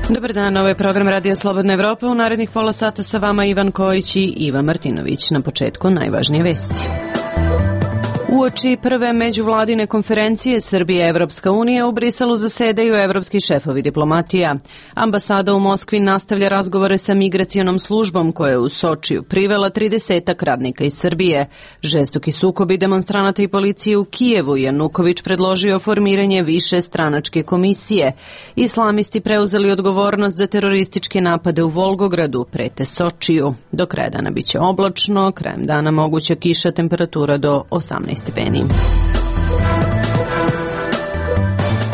Dobar dan, ovo je program Radio Slobodna Evropa. U narednih pola sata sa vama Ivan Kojić i Iva Martinović. Na početku najvažnije vesti. Uoči prve međuvladine konferencije Srbije – Evropska unija u Briselu zasedaju evropski šefovi diplomatija. Ambasada u Moskvi nastavlja razgovore sa migracionom službom koja je u Sočiju privela 30 radnika iz Srbije. Žestoki sukobi demonstranata i policije u Kijevu. Januković predložio formiranje više stranačke komisije. Islamisti preuzeli odgovornost za terorističke napade u Volgogradu, prete Sočiju. Do kraja dana biće oblačno, krajem dana moguća kiša, temperatura do 18 stepeni.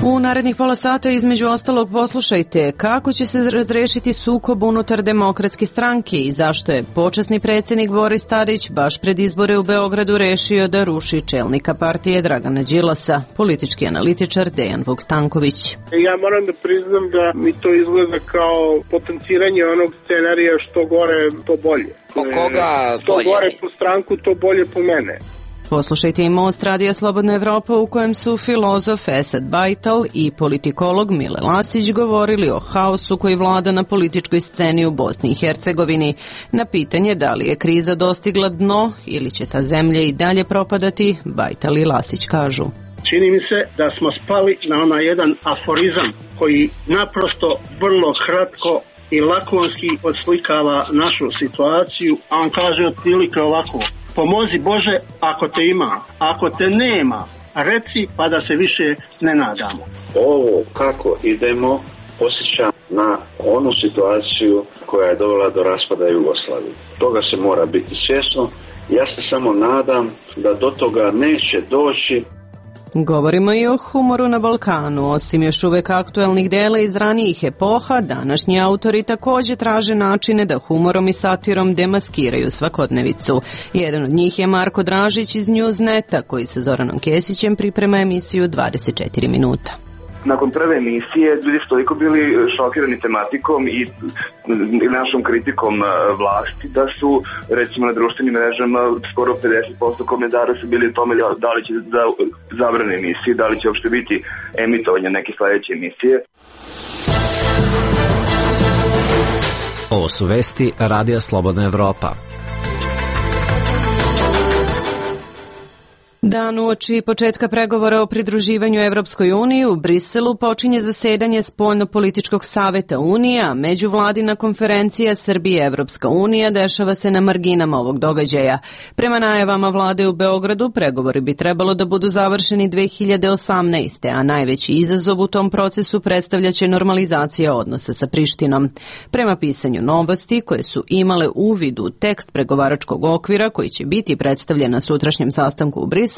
U narednih pola sata između ostalog poslušajte kako će se razrešiti sukob unutar Demokratske stranke i zašto je počasni predsjednik Boris Tadić baš pred izbore u Beogradu rešio da ruši čelnika partije Dragana Đilasa, politički analitičar Dejan Vuk-Stanković. Ja moram da priznam da mi to izgleda kao potenciranje onog scenarija što gore to bolje. Po koga to bolje? Gore po stranku, to bolje po mene. Poslušajte i Most Radija Slobodna Evropa u kojem su filozof Esad Bajtal i politikolog Mile Lasić govorili o haosu koji vlada na političkoj sceni u Bosni i Hercegovini. Na pitanje da li je kriza dostigla dno ili će ta zemlja i dalje propadati, Bajtal i Lasić kažu. Čini mi se da smo spali na onaj jedan aforizam koji naprosto vrlo kratko i lakonski odslikava našu situaciju, a on kaže otprilike ovako: pomozi Bože ako te ima, ako te nema, reci pa da se više ne nadamo. Ovo kako idemo posjeća na onu situaciju koja je dovela do raspada Jugoslavije. Toga se mora biti svjesno. Ja se samo nadam da do toga neće doći. Govorimo i o humoru na Balkanu. Osim još uvek aktuelnih dela iz ranijih epoha, današnji autori također traže načine da humorom i satirom demaskiraju svakodnevicu. Jedan od njih je Marko Dražić iz Newsneta, koji sa Zoranom Kesićem priprema emisiju 24 minuta. Nakon prve emisije ljudi su toliko bili šokirani tematikom i našom kritikom vlasti da su, recimo, na društvenim mrežama skoro 50% komentara su bili o tome da li će zabrane emisije, da li će uopšte biti emitovanje neke sledeće emisije. Ovo su vesti Radija Slobodna Evropa. Dan uoči početka pregovora o pridruživanju Evropskoj uniji u Briselu počinje zasedanje Spoljno-političkog saveta Unije, a međuvladina konferencija Srbije Evropska unija dešava se na marginama ovog događaja. Prema najavama vlade u Beogradu, pregovori bi trebalo da budu završeni 2018. a najveći izazov u tom procesu predstavljaće normalizacija odnosa sa Prištinom. Prema pisanju Novosti, koje su imale uvid u tekst pregovaračkog okvira koji će biti predstavljen na sutrašnjem sastanku u Briselu,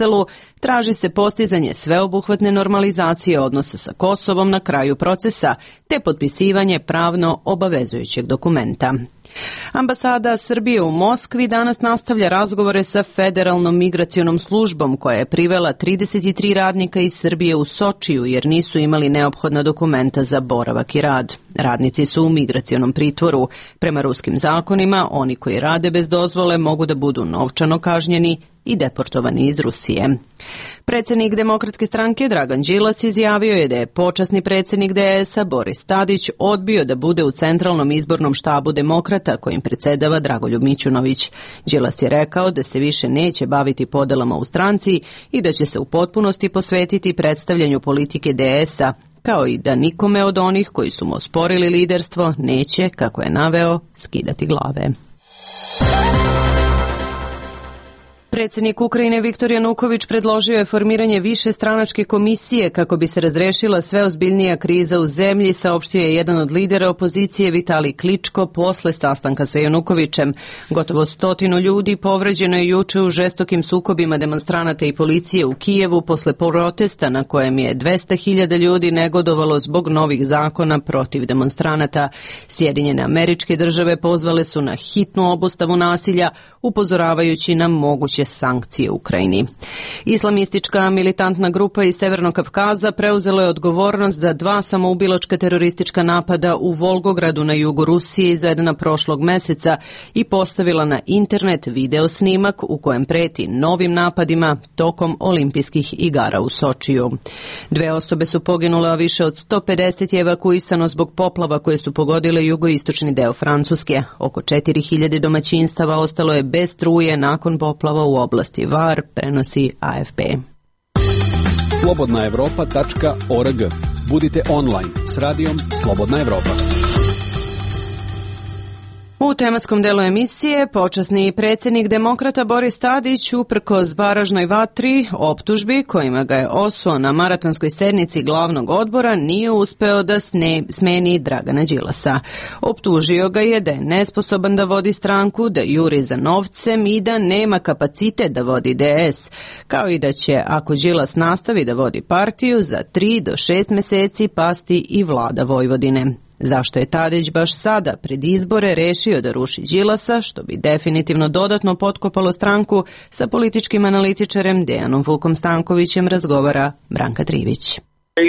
traži se postizanje sveobuhvatne normalizacije odnosa sa Kosovom na kraju procesa, te potpisivanje pravno obavezujućeg dokumenta. Ambasada Srbije u Moskvi danas nastavlja razgovore sa Federalnom migracionom službom koja je privela 33 radnika iz Srbije u Sočiju jer nisu imali neophodna dokumenta za boravak i rad. Radnici su u migracionom pritvoru. Prema ruskim zakonima, oni koji rade bez dozvole mogu da budu novčano kažnjeni i deportovani iz Rusije. Predsjednik Demokratske stranke Dragan Đilas izjavio je da je počasni predsjednik DS-a Boris Tadić odbio da bude u centralnom izbornom štabu Demokrata kojim predsjedava Dragoljub Mićunović. Đilas je rekao da se više neće baviti podelama u stranci i da će se u potpunosti posvetiti predstavljanju politike DS-a, kao i da nikome od onih koji su mu osporili liderstvo neće, kako je naveo, skidati glave. Predsjednik Ukrajine Viktor Januković predložio je formiranje više stranačke komisije kako bi se razrešila sve ozbiljnija kriza u zemlji, saopštio je jedan od lidera opozicije Vitalij Kličko posle sastanka sa Janukovićem. Gotovo 100 ljudi povređeno je juče u žestokim sukobima demonstranata i policije u Kijevu posle protesta na kojem je 200.000 ljudi negodovalo zbog novih zakona protiv demonstranata. Sjedinjene Američke Države pozvale su na hitnu obustavu nasilja, upozoravajući na moguće moguće sankcije u Ukrajini. Islamistička militantna grupa iz Severnog Kavkaza preuzela je odgovornost za 2 samoubilačka teroristička napada u Volgogradu na jugu Rusije izvedena prošlog meseca i postavila na internet video snimak u kojem preti novim napadima tokom olimpijskih igara u Sočiju. 2 osobe su poginule, a više od 150 je evakuisano zbog poplava koje su pogodile jugoistočni deo Francuske. Oko 4000 domaćinstava ostalo je bez struje nakon poplava u oblasti Var, prenosi AFP. Slobodnaevropa.org. Budite online s radijom Slobodna Evropa. U tematskom delu emisije počasni predsjednik demokrata Boris Tadić uprkos baražnoj vatri optužbi kojima ga je osuo na maratonskoj sednici glavnog odbora nije uspeo da smeni Dragana Đilasa. Optužio ga je da je nesposoban da vodi stranku, da juri za novcem i da nema kapacitet da vodi DS, kao i da će, ako Đilas nastavi da vodi partiju, za 3 do 6 meseci pasti i vlada Vojvodine. Zašto je Tadić baš sada pred izbore rešio da ruši Đilasa, što bi definitivno dodatno potkopalo stranku, sa političkim analitičarem Dejanom Vukom Stankovićem razgovara Branka Trivić.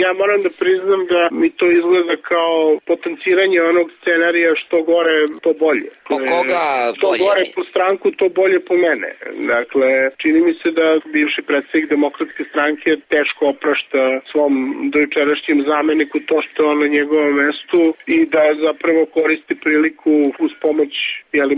Ja moram da priznam da mi to izgleda kao potenciranje onog scenarija što gore, to bolje. Po koga bolje? Što gore po stranku, to bolje po mene. Dakle, čini mi se da bivši predsjednik Demokratske stranke teško oprašta svom dojučerašnjem zameniku to što je on na njegovom mestu i da zapravo koristi priliku uz pomoć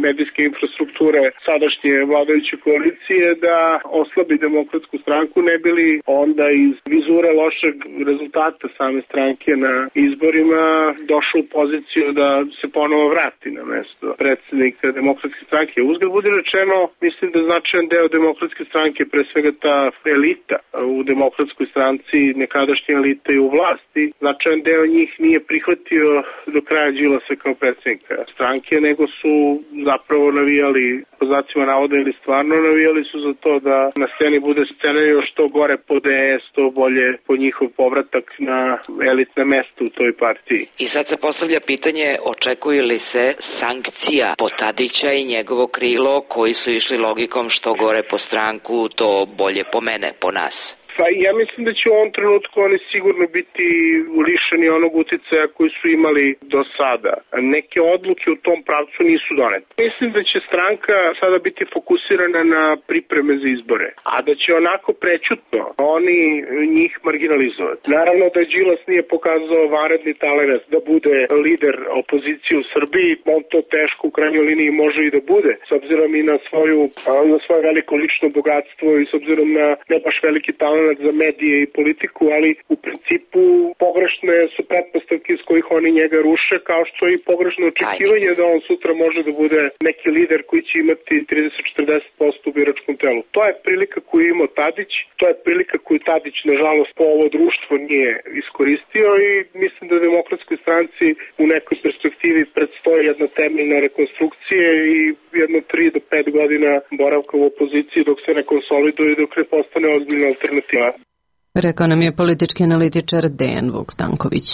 medijske infrastrukture sadašnje vladajuće koalicije da oslabi Demokratsku stranku, ne bi li onda iz vizure lošeg rezultata same stranke na izborima došao u poziciju da se ponovo vrati na mesto predsjednika Demokratske stranke. Uzgled budi rečeno, mislim da značajan deo Demokratske stranke, pre svega ta elita u Demokratskoj stranci, nekadašnja elita i u vlasti, značajan deo njih nije prihvatio do kraja Đilasa kao predsjednika stranke, nego su zapravo navijali, po znacima navoda ili stvarno navijali su za to da na sceni bude scenario što gore po DS, to bolje po njihov povratak na elitne mesta u toj partiji. I sad se postavlja pitanje, očekuju li se sankcija po Tadića i njegovo krilo koji su išli logikom što gore po stranku, to bolje po mene, po nas? Pa ja mislim da će u ovom trenutku oni sigurno biti lišeni onog uticaja koji su imali do sada. Neke odluke u tom pravcu nisu donete. Mislim da će stranka sada biti fokusirana na pripreme za izbore, a da će onako prećutno oni njih marginalizovati. Naravno da Đilas nije pokazao vanredni talenat da bude lider opozicije u Srbiji, on to teško u krajnjoj liniji može i da bude, s obzirom i na svoje veliko lično bogatstvo i s obzirom na ne baš veliki talent za medije i politiku, ali u principu pogrešne su pretpostavke iz kojih oni njega ruše, kao što i pogrešno očekivanje da on sutra može da bude neki lider koji će imati 30-40% u biračkom telu. To je prilika koju je imao Tadić, to je prilika koju Tadić, nažalost, po ovo društvo nije iskoristio i mislim da Demokratskoj stranci u nekoj perspektivi predstoji jedna temeljna rekonstrukcija i jedno 3 do 5 godina boravka u opoziciji dok se ne konsoliduje i dok ne postane ozbiljna alternativa. Rekao nam je politički analitičar Dejan Vuk Stanković.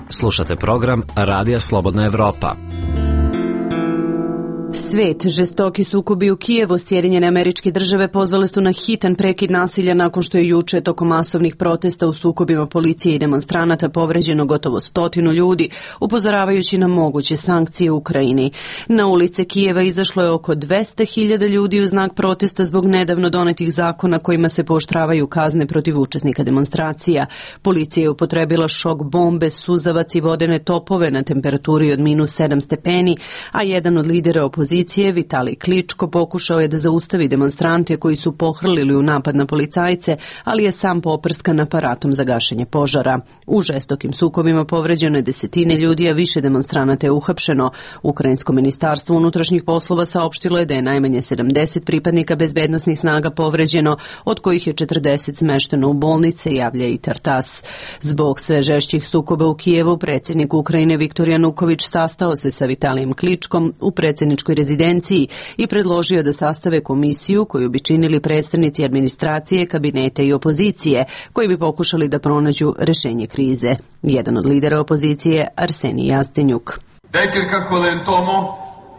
Slušate program Radija Slobodna Evropa. Svet, žestoki sukobi u Kijevu, Sjedinjene Američke Države pozvale su na hitan prekid nasilja nakon što je juče tokom masovnih protesta u sukobima policije i demonstranata povređeno gotovo 100 ljudi, upozoravajući na moguće sankcije u Ukrajini. Na ulice Kijeva izašlo je oko 200.000 ljudi u znak protesta zbog nedavno donetih zakona kojima se pooštravaju kazne protiv učesnika demonstracija. Policija je upotrebila šok bombe, suzavac i vodene topove na temperaturi od -7 stepeni, a jedan od lidera opozicije, Vitalij Kličko, pokušao je da zaustavi demonstrante koji su pohrlili u napad na policajce, ali je sam poprskan aparatom za gašenje požara. U žestokim sukobima povređeno je 10 ljudi, a više demonstranata je uhapšeno. Ukrajinsko ministarstvo unutrašnjih poslova saopštilo je da je najmanje 70 pripadnika bezbednosnih snaga povređeno, od kojih je 40 smešteno u bolnice, javlja i Tartas. Zbog sve žešćih sukoba u Kijevu, predsjednik Ukrajine Viktor Januković sastao se sa Vitalijem Kličkom u predsjedničkoj rezidenciji i predložio da sastave komisiju koju bi činili predstavnici administracije, kabineta i opozicije, koji bi pokušali da pronađu rešenje krize. Jedan od lidera opozicije, Arsenij Jastenjuk. Декілька хвилин тому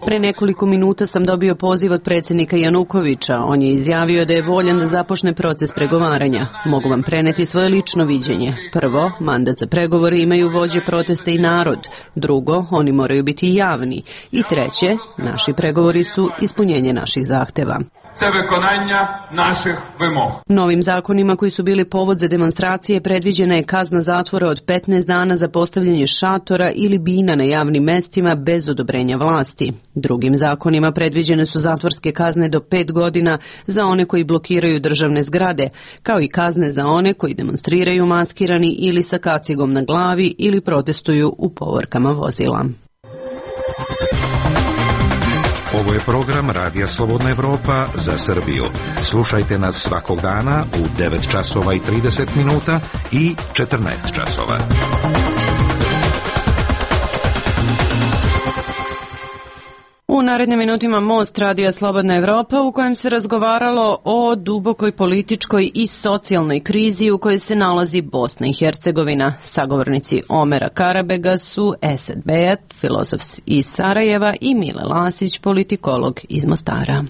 Pre nekoliko minuta sam dobio poziv od predsjednika Janukovića. On je izjavio da je voljan da započne proces pregovaranja. Mogu vam preneti svoje lično viđenje. Prvo, mandat za pregovore imaju vođe protesta i narod. Drugo, oni moraju biti javni. I treće, naši pregovori su ispunjenje naših zahteva. Novim zakonima koji su bili povod za demonstracije predviđena je kazna zatvora od 15 dana za postavljanje šatora ili bina na javnim mestima bez odobrenja vlasti. Drugim zakonima predviđene su zatvorske kazne do 5 godina za one koji blokiraju državne zgrade, kao i kazne za one koji demonstriraju maskirani ili sa kacigom na glavi ili protestuju u povorkama vozila. Ovo je program Radija Slobodna Evropa za Srbiju. Slušajte nas svakog dana u 9 časova i 30 minuta i 14 časova. U narednim minutima Most Radija Slobodna Evropa u kojem se razgovaralo o dubokoj političkoj i socijalnoj krizi u kojoj se nalazi Bosna i Hercegovina. Sagovornici Omera Karabega su Esed Bejat, filozof iz Sarajeva, i Mile Lasić, politikolog iz Mostara.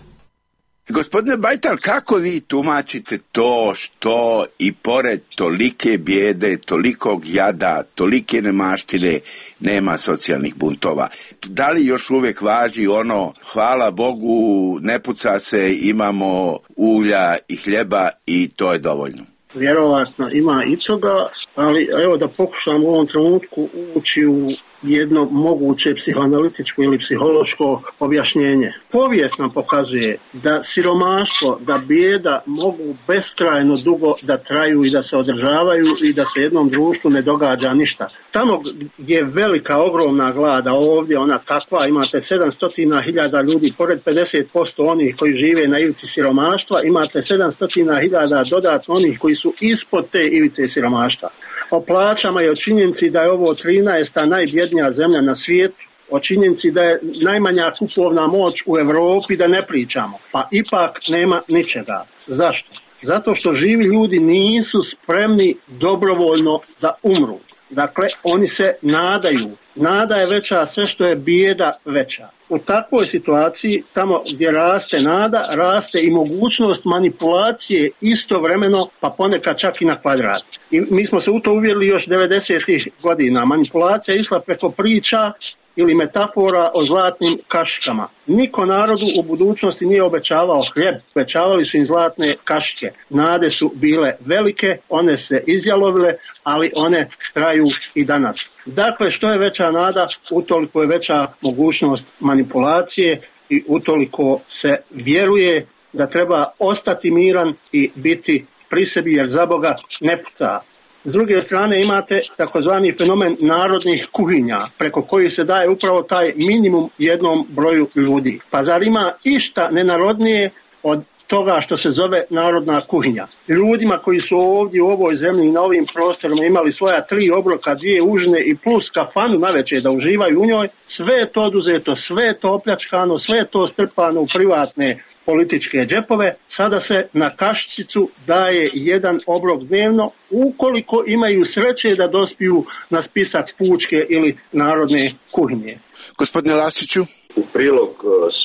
Gospodine Bajtal, kako vi tumačite to što i pored tolike bijede, tolikog jada, tolike nemaštine nema socijalnih buntova? Da li još uvijek važi ono, hvala Bogu, ne puca se, imamo ulja i hljeba i to je dovoljno? Vjerovatno ima i toga, ali evo da pokušam u ovom trenutku ući u jedno moguće psihoanalitičko ili psihološko objašnjenje. Povijest nam pokazuje da siromaštvo, da bijeda mogu beskrajno dugo da traju i da se održavaju i da se jednom društvu ne događa ništa. Tamo gdje je velika, ogromna glada, ovdje ona takva, imate 700.000 ljudi, pored 50% onih koji žive na ivici siromaštva, imate 700.000 dodatno onih koji su ispod te ivice siromaštva. O plaćama i o činjenici da je ovo 13. najbjednija zemlja na svijetu, o činjenici da je najmanja kupovna moć u Europi, da ne pričamo. Pa ipak nema ničega. Zašto? Zato što živi ljudi nisu spremni dobrovoljno da umru. Dakle, oni se nadaju. Nada je veća sve što je bijeda veća. U takvoj situaciji, tamo gdje raste nada, raste i mogućnost manipulacije istovremeno, pa ponekad čak i na kvadrat. I mi smo se u to uvjerili još 90. godina. Manipulacija je išla preko priča ili metafora o zlatnim kašikama. Niko narodu u budućnosti nije obećavao hljeb, obećavali su im zlatne kašike. Nade su bile velike, one se izjalovile, ali one traju i danas. Dakle, što je veća nada, utoliko je veća mogućnost manipulacije i utoliko se vjeruje da treba ostati miran i biti pri sebi, jer za Boga ne puca. S druge strane imate takozvani fenomen narodnih kuhinja, preko koji se daje upravo taj minimum jednom broju ljudi. Pa zar ima išta nenarodnije od toga što se zove narodna kuhinja? Ljudima koji su ovdje u ovoj zemlji i na ovim prostorima imali svoja 3 obroka, 2 užine i plus kafanu navečer da uživaju u njoj, sve je to oduzeto, sve je to opljačkano, sve je to strpano u privatne političke džepove. Sada se na kašičicu daje 1 obrok dnevno, ukoliko imaju sreće da dospiju na spisak pučke ili narodne kuhinje. Gospodine Lasiću? U prilog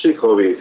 svih ovih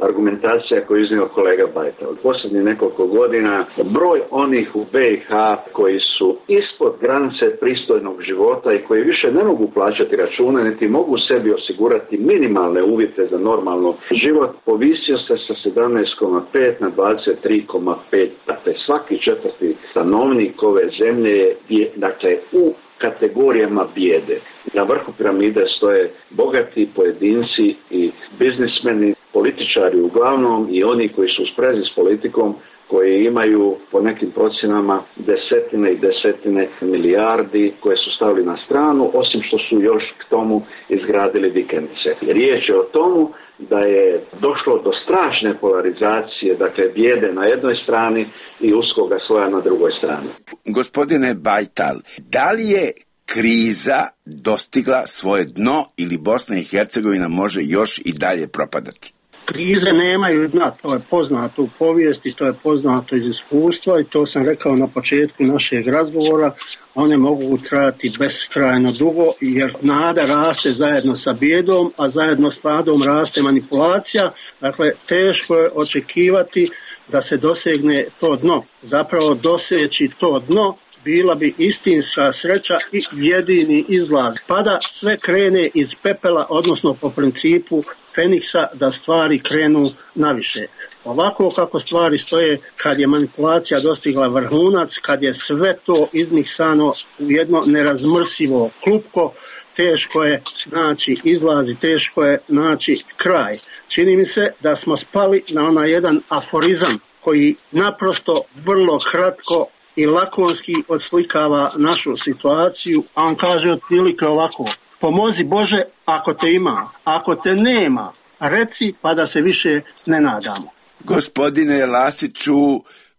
argumentacija koju je iznio kolega Bajta. Od posljednjih nekoliko godina broj onih u BiH koji su ispod granice pristojnog života i koji više ne mogu plaćati račune, niti mogu sebi osigurati minimalne uvjete za normalno život, povisio se sa 17,5 na 23,5. Dakle, svaki 4. stanovnik ove zemlje je u kategorijama bijede. Na vrhu piramide stoje bogati pojedinci i biznismeni, političari uglavnom i oni koji su u sprezi s politikom, koji imaju po nekim procjenama desetine i desetine milijardi koje su stavili na stranu, osim što su još k tomu izgradili vikendice. Riječ je o tomu da je došlo do strašne polarizacije, dakle bijede na jednoj strani i uskoga sloja na drugoj strani. Gospodine Bajtal, da li je kriza dostigla svoje dno ili Bosna i Hercegovina može još i dalje propadati? Krize nemaju dna, to je poznato u povijesti, to je poznato iz iskustva i to sam rekao na početku našeg razgovora. One mogu trajati beskrajno dugo jer nada raste zajedno sa bijedom, a zajedno s nadom raste manipulacija. Dakle, teško je očekivati da se dosegne to dno. Zapravo doseći to dno bila bi istinska sreća i jedini izlaz. Pa da sve krene iz pepela, odnosno po principu Feniksa, da stvari krenu naviše. Ovako kako stvari stoje, kad je manipulacija dostigla vrhunac, kad je sve to izmiksano u jedno nerazmrsivo klupko, teško je naći izlaz i teško je naći kraj. Čini mi se da smo spali na onaj jedan aforizam koji naprosto vrlo kratko i lakonski odslikava našu situaciju, a on kaže otprilike ovako: pomozi Bože ako te ima, ako te nema, reci pa da se više ne nadamo. Gospodine Lasiću,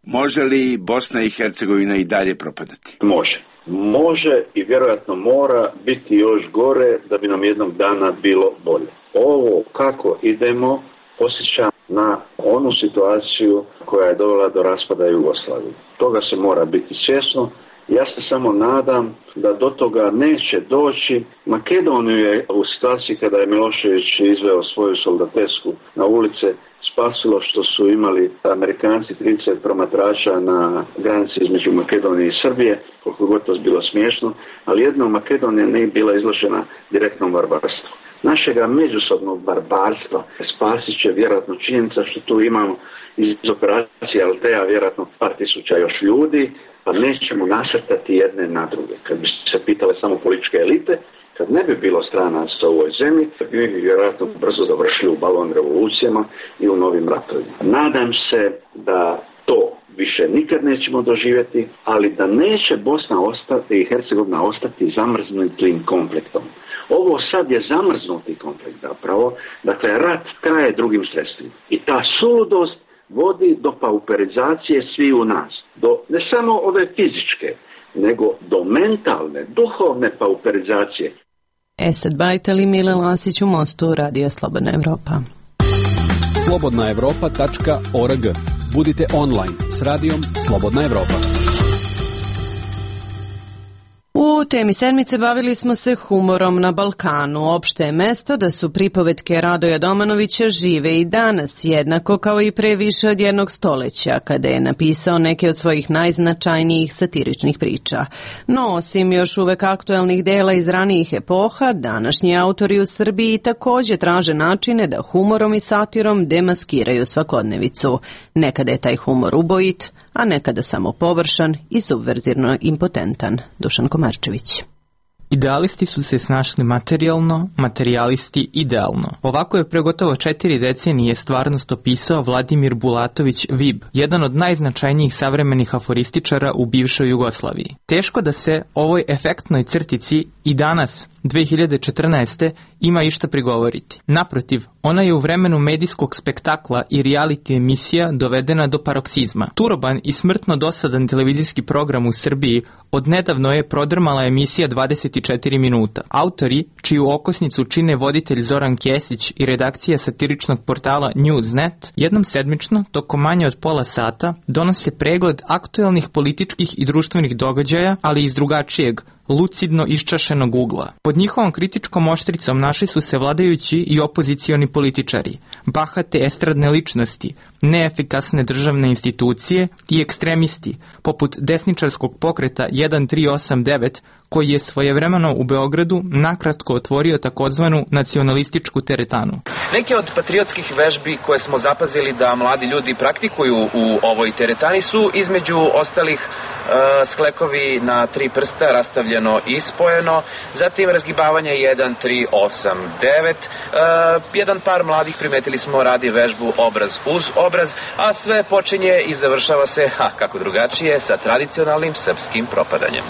može li Bosna i Hercegovina i dalje propadati? Može i vjerojatno mora biti još gore da bi nam jednog dana bilo bolje. Ovo kako idemo posjeća na onu situaciju koja je dovela do raspada Jugoslavije. Toga se mora biti svjesno. Ja se samo nadam da do toga neće doći. Makedoniju je u situaciji kada je Milošević izveo svoju soldatesku na ulice spasilo što su imali Amerikanci 30 promatrača na granici između Makedonije i Srbije, koliko god to bilo smiješno, ali jedno Makedonija nije bila izložena direktnom barbarstvu. Našega međusobnog barbarstva spasit će vjerojatno činjenica što tu imamo iz operacije Altea vjerojatno par tisuća još ljudi, pa nećemo nasrtati jedne na druge. Kad bi se pitale samo političke elite, kad ne bi bilo stranaca u ovoj zemlji, bi vjerojatno brzo dovršili u balon revolucijama i u novim ratovima. Nadam se da to više nikad nećemo doživjeti, ali da neće Bosna i Hercegovina ostati zamrznutim konfliktom. Ovo sad je zamrznuti konflikt zapravo, dakle rat traje drugim sredstvima. I ta suludost vodi do pauperizacije svi u nas, do ne samo ove fizičke, nego do mentalne, duhovne pauperizacije. Esad Bajtel i Mile Lasić u Mostu, Radio Slobodna Evropa. slobodnaevropa.org. Budite online s radijom Slobodna Evropa. U temi sedmice bavili smo se humorom na Balkanu. Opšte je mesto da su pripovetke Radoja Domanovića žive i danas, jednako kao i pre više od jednog stoleća, kada je napisao neke od svojih najznačajnijih satiričnih priča. No, osim još uvek aktuelnih dela iz ranijih epoha, današnji autori u Srbiji takođe traže načine da humorom i satirom demaskiraju svakodnevicu. Nekada je taj humor ubojit, a nekada samo površan i subverzivno impotentan. Dušan Komarčević. Idealisti su se snašli materijalno, materijalisti idealno. Ovako je pre gotovo 4 decenije stvarnost opisao Vladimir Bulatović Vib, jedan od najznačajnijih savremenih aforističara u bivšoj Jugoslaviji. Teško da se ovoj efektnoj crtici i danas, 2014. ima išta prigovoriti. Naprotiv, ona je u vremenu medijskog spektakla i reality emisija dovedena do paroksizma. Turoban i smrtno dosadan televizijski program u Srbiji odnedavno je prodrmala emisija 24 minuta. Autori, čiju okosnicu čine voditelj Zoran Kesić i redakcija satiričnog portala Newsnet, jednom sedmično, tokom manje od pola sata, donose pregled aktuelnih političkih i društvenih događaja, ali iz drugačijeg, lucidno iščašenog ugla. Pod njihovom kritičkom oštricom našli su se vladajući i opozicioni političari, bahate estradne ličnosti, neefikasne državne institucije i ekstremisti, poput desničarskog pokreta 1389, koji je svojevremeno u Beogradu nakratko otvorio takozvanu nacionalističku teretanu. Neke od patriotskih vežbi koje smo zapazili da mladi ljudi praktikuju u ovoj teretani su između ostalih sklekovi na 3 prsta rastavljeno i spojeno, zatim razgibavanje 1389, jedan par mladih primetili smo radi vežbu obraz uz obraz, a sve počinje i završava se, kako drugačije, sa tradicionalnim srpskim propadanjem.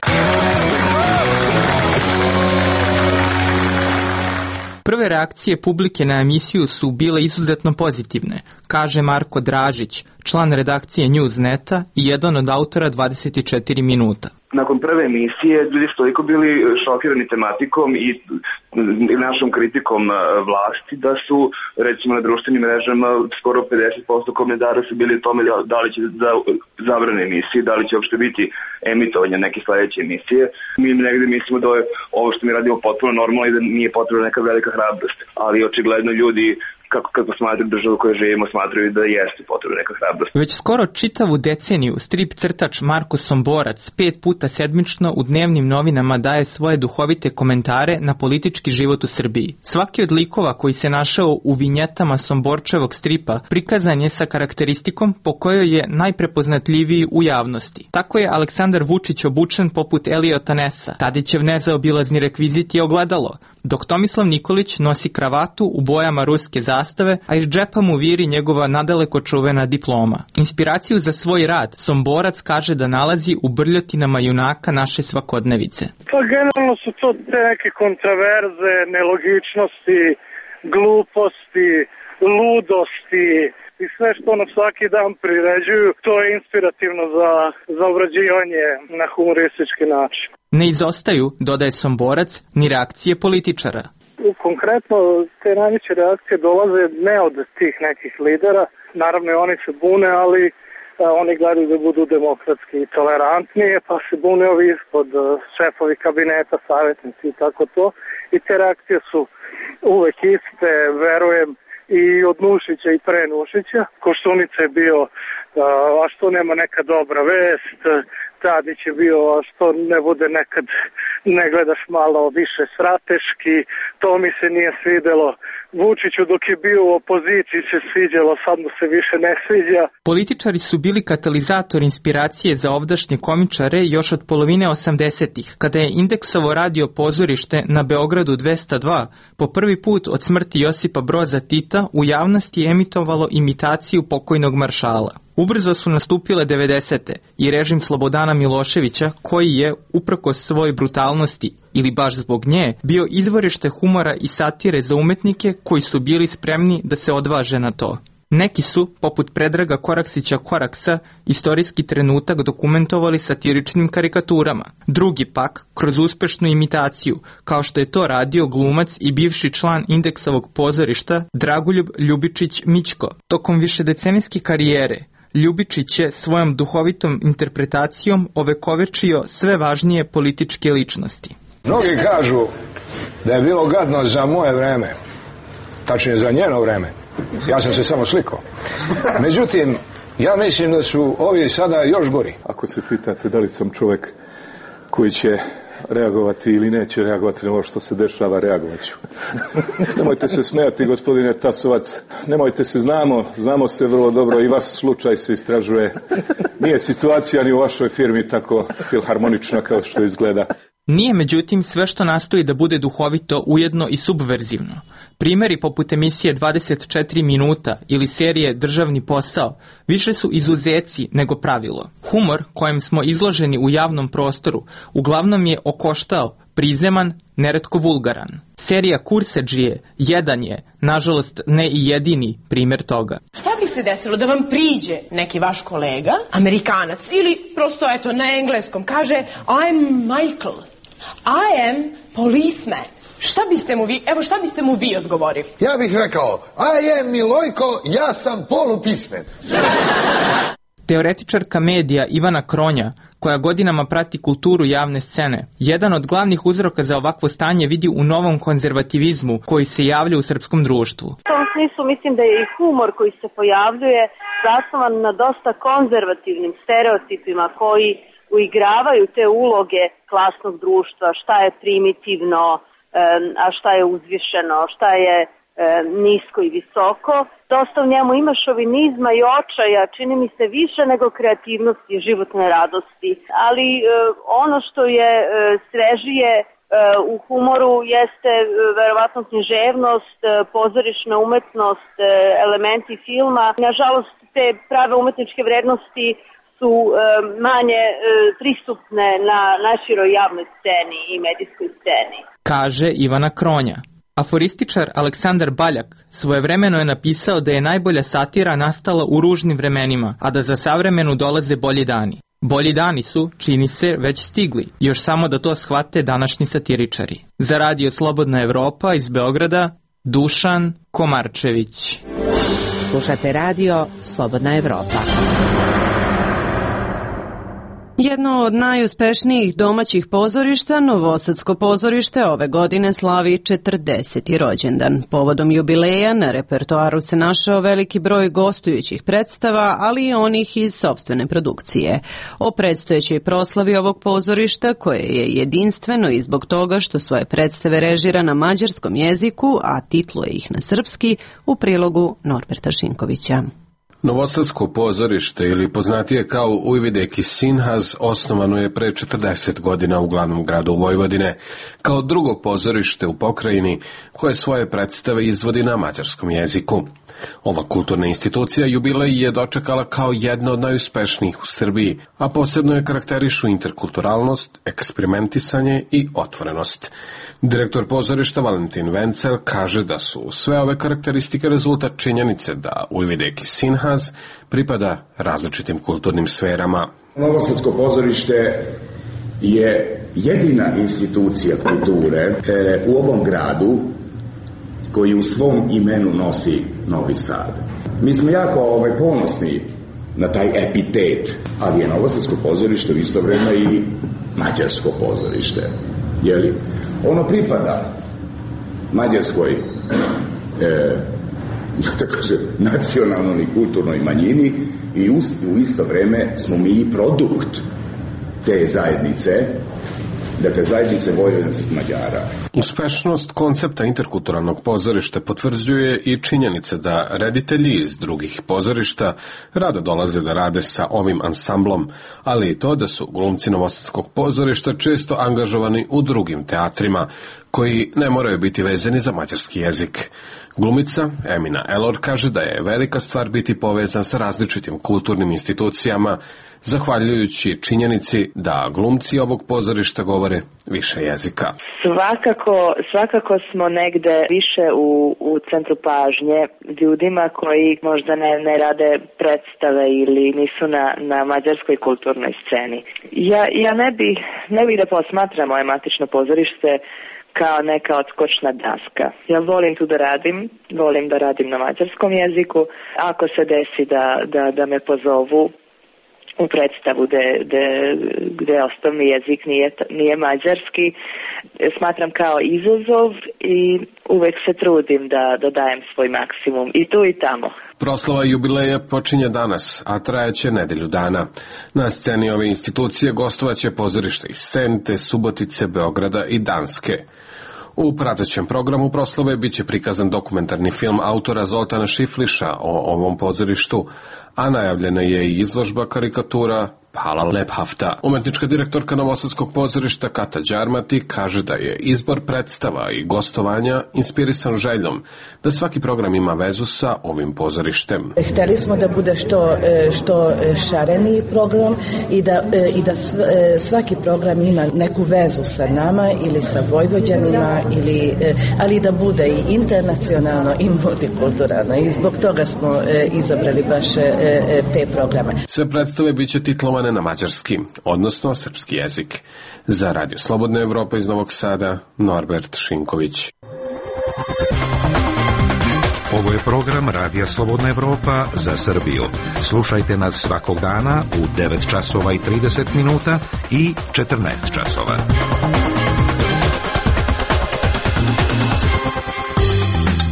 Prve reakcije publike na emisiju su bile izuzetno pozitivne. kaže Marko Dražić, član redakcije Newsneta i jedan od autora 24 minuta. Nakon prve emisije ljudi su toliko bili šokirani tematikom i našom kritikom vlasti da su recimo na društvenim mrežama skoro 50% komentara su bili o tome da li će zabrane emisije, da li će uopšte biti emitovanje neke sledeće emisije. Mi negde mislimo da je ovo što mi radimo potpuno normalno i da nije potrebna neka velika hrabrost, ali očigledno ljudi kako smatraju državu koju živimo, smatraju da jeste potrebna neka hrabrost. Već skoro čitavu deceniju strip crtač Marko Somborac 5 puta sedmično u dnevnim novinama daje svoje duhovite komentare na politički život u Srbiji. Svaki od likova koji se našao u vinjetama Somborčevog stripa prikazan je sa karakteristikom po kojoj je najprepoznatljiviji u javnosti. Tako je Aleksandar Vučić obučen poput Eliota Nessa, Tadićev nezaobilazni rekvizit je ogledalo, dok Tomislav Nikolić nosi kravatu u bojama ruske zastave, a iz džepa mu viri njegova nadaleko čuvena diploma. Inspiraciju za svoj rad Somborac kaže da nalazi u brljotinama junaka naše svakodnevice. Pa generalno su to te neke kontraverze, nelogičnosti, gluposti, ludosti i sve što nam svaki dan priređuju, to je inspirativno za obrađivanje na humoristički način. Ne izostaju, dodaje Somborac, ni reakcije političara. Konkretno, te najveće reakcije dolaze ne od tih nekih lidera, naravno i oni se bune, ali oni gledaju da budu demokratski i tolerantnije, pa se bune ovi ispod šefovi kabineta, savjetnici i tako to. I te reakcije su uvek iste, verujem, i od Nušića i pre Nušića. Koštunica je bio, a što nema neka dobra vest, Tadić je bio, a što ne bude nekad, ne gledaš malo više strateški, to mi se nije svidelo. Vučiću dok je bio u opoziciji se sviđalo, sad mu se više ne sviđa. Političari su bili katalizator inspiracije za ovdašnje komičare još od polovine 80-ih, kada je Indeksovo radio pozorište na Beogradu 202 po prvi put od smrti Josipa Broza Tita u javnosti emitovalo imitaciju pokojnog maršala. Ubrzo su nastupile 90. i režim Slobodana Miloševića, koji je, uprkos svojoj brutalnosti ili baš zbog nje, bio izvorište humora i satire za umetnike koji su bili spremni da se odvaže na to. Neki su, poput Predraga Koraksića Koraksa, istorijski trenutak dokumentovali satiričnim karikaturama. Drugi pak, kroz uspešnu imitaciju, kao što je to radio glumac i bivši član Indeksovog pozorišta Dragoljub Ljubičić Mićko. Tokom višedecenijske karijere, Ljubičić je svojom duhovitom interpretacijom ovekovečio sve važnije političke ličnosti. Mnogi kažu da je bilo gadno za moje vreme, tačnije za njeno vreme. Ja sam se samo slikao. Međutim, ja mislim da su ovi sada još gori. Ako se pitate da li sam čovjek koji će reagovati ili neće reagovati na ovo što se dešava, reagovat ću. Nemojte se smijati, gospodine Tasovac. Nemojte se, znamo se vrlo dobro i vaš slučaj se istražuje. Nije situacija ni u vašoj firmi tako filharmonična kao što izgleda. Nije, međutim, sve što nastoji da bude duhovito ujedno i subverzivno. Primjeri poput emisije 24 minuta ili serije Državni posao više su izuzeci nego pravilo. Humor kojem smo izloženi u javnom prostoru uglavnom je okoštao, prizeman, neretko vulgaran. Serija Kursadžije jedan je, nažalost ne i jedini primjer toga. Šta bi se desilo da vam priđe neki vaš kolega, Amerikanac, ili prosto eto na engleskom, kaže I'm Michael, I am policeman. Šta biste mu vi odgovorili? Ja bih rekao, I am Milojko, ja sam polupismen. Teoretičarka medija Ivana Kronja, koja godinama prati kulturu javne scene, jedan od glavnih uzroka za ovakvo stanje vidi u novom konzervativizmu koji se javlja u srpskom društvu. U tom smislu mislim da je i humor koji se pojavljuje zasnovan na dosta konzervativnim stereotipima koji uigravaju te uloge klasnog društva, šta je primitivno, a šta je uzvišeno, šta je nisko i visoko. Dosta u njemu ima šovinizma i očaja, čini mi se više nego kreativnosti i životne radosti. Ali ono što je svežije u humoru jeste verovatno književnost, pozorišna umetnost, elementi filma. Nažalost, te prave umetničke vrednosti su manje pristupne na naširoj javnoj sceni i medijskoj sceni. Kaže Ivana Kronja. Aforističar Aleksandar Baljak svojevremeno je napisao da je najbolja satira nastala u ružnim vremenima, a da za savremenu dolaze bolji dani. Bolji dani su, čini se, već stigli, još samo da to shvate današnji satiričari. Za Radio Slobodna Evropa iz Beograda, Dušan Komarčević. Slušate Radio Slobodna Evropa. Jedno od najuspešnijih domaćih pozorišta, Novosadsko pozorište, ove godine slavi 40. rođendan. Povodom jubileja na repertoaru se našao veliki broj gostujućih predstava, ali i onih iz sopstvene produkcije. O predstojećoj proslavi ovog pozorišta, koje je jedinstveno i zbog toga što svoje predstave režira na mađarskom jeziku, a titluje ih na srpski, u prilogu Norberta Šinkovića. Novosadsko pozorište, ili poznatije kao Ujvideki Sinhaz, osnovano je pre 40 godina u glavnom gradu Vojvodine, kao drugo pozorište u pokrajini koje svoje predstave izvodi na mađarskom jeziku. Ova kulturna institucija jubilej je dočekala kao jedna od najuspešnijih u Srbiji, a posebno je karakterišu interkulturalnost, eksperimentisanje i otvorenost. Direktor pozorišta Valentin Vencel kaže da su sve ove karakteristike rezultat činjenice da Ujvideki Sinhaz pripada različitim kulturnim sferama. Novosadsko pozorište je jedina institucija kulture u ovom gradu koji u svom imenu nosi Novi Sad. Mi smo jako ponosni na taj epitet, ali je Novosadsko pozorište u isto vreme i mađarsko pozorište. Jeli? Ono pripada mađarskoj nacionalnoj i kulturnoj manjini i u isto vreme smo mi i produkt te zajednice, dakle zajednice vojvođanskih Mađara. Uspešnost koncepta interkulturalnog pozorišta potvrđuje i činjenica da reditelji iz drugih pozorišta rado dolaze da rade sa ovim ansamblom, ali i to da su glumci Novosadskog pozorišta često angažovani u drugim teatrima, koji ne moraju biti vezani za mađarski jezik. Glumica Emina Elor kaže da je velika stvar biti povezan sa različitim kulturnim institucijama, zahvaljujući činjenici da glumci ovog pozorišta govore više jezika. Svakako smo negde više u centru pažnje ljudima koji možda ne rade predstave ili nisu na mađarskoj kulturnoj sceni. Ja ne bih da posmatram moje matično pozorište kao neka odskočna daska. Ja volim tu da radim, volim da radim na mađarskom jeziku. Ako se desi da me pozovu u predstavu gde osnovni jezik nije mađarski, smatram kao izazov i uvek se trudim da dajem svoj maksimum i tu i tamo. Proslava jubileja počinje danas, a trajaće nedelju dana. Na sceni ove institucije gostovaće pozorište iz Sente, Subotice, Beograda i Danske. U pratećem programu proslave biće prikazan dokumentarni film autora Zoltana Šifliša o ovom pozorištu, a najavljena je i izložba karikatura Pala Lephafta. Umetnička direktorka Novosadskog pozorišta Kata Đarmati kaže da je izbor predstava i gostovanja inspirisan željom da svaki program ima vezu sa ovim pozorištem. Hteli smo da bude što šareniji program i da svaki program ima neku vezu sa nama ili sa Vojvođanima, ali da bude i internacionalno i multikulturalno i zbog toga smo izabrali baš te programe. Sve predstave biće titlovane na mađarski, odnosno srpski jezik. Za Radio Slobodna Evropa iz Novog Sada, Norbert Šinković. Ovo je program Radija Slobodna Evropa za Srbiju. Slušajte nas svakog dana u 9 časova i 30 minuta i 14 časova.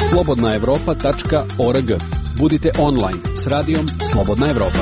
slobodnaevropa.org. Budite online s radijom Slobodna Evropa.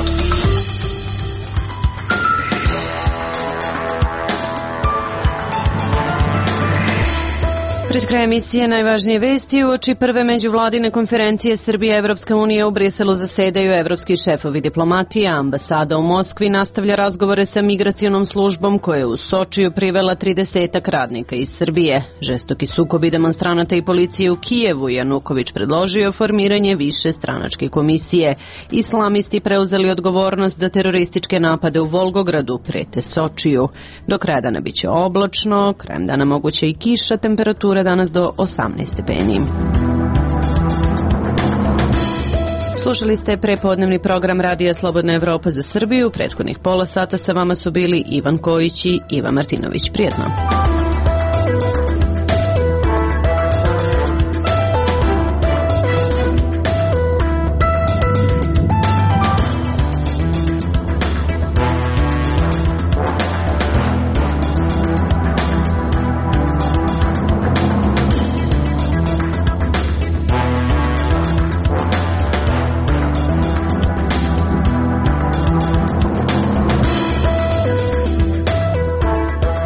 Pred kraj emisije najvažnije vesti uoči prve međuvladine konferencije Srbija i Evropska unija u Briselu zasedaju evropski šefovi diplomatije, a ambasada u Moskvi nastavlja razgovore sa migracionom službom koja je u Sočiju privela 30 radnika iz Srbije. Žestoki sukobi demonstranata i policije u Kijevu, Januković predložio formiranje više stranačke komisije. Islamisti preuzeli odgovornost za terorističke napade u Volgogradu, prete Sočiju. Do kraja dana biće oblačno, krajem dana moguće i kiša, temperatura danas do 18 stepeni. Slušali ste prepodnevni program Radija Slobodna Evropa za Srbiju. Prethodnih pola sata sa vama su bili Ivan Kojić i Iva Martinović. Prijetno.